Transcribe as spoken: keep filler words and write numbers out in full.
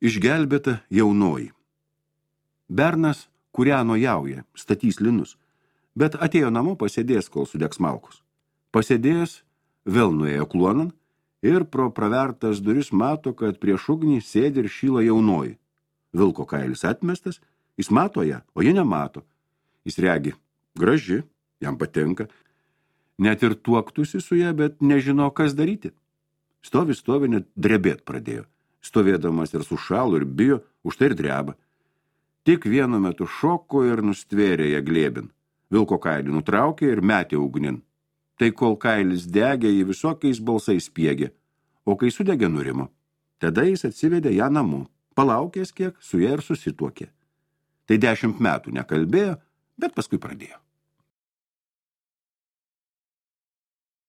Išgelbėta jaunoji. Bernas kūreno jauja, statys linus, bet atėjo namo pasėdės, kol sudegs malkos. Pasėdėjęs, vėl nuėjo kluonan ir pro pravertas duris mato, kad prieš ugnį sėdi ir šyla jaunoji. Vilko kailis atmestas, jis mato ją, o ji nemato. Jis regi, graži, jam patinka. Net ir tuoktųsi su ją, bet nežino, kas daryti. Stovi, stovi, net drebėt pradėjo. Stovėdamas ir sušalo ir bijo, už tai ir dreba. Tik vienu metu šoko ir nustvėrė ją glėbin. Vilko kailį nutraukė ir metė ugnin. Tai kol kailis degė, jį visokiais balsais spiegė, o kai sudegė nurimo, tada jis atsivedė ją namo, palaukęs kiek, su ja ir susituokė. Tai dešimt metų nekalbėjo, bet paskui pradėjo.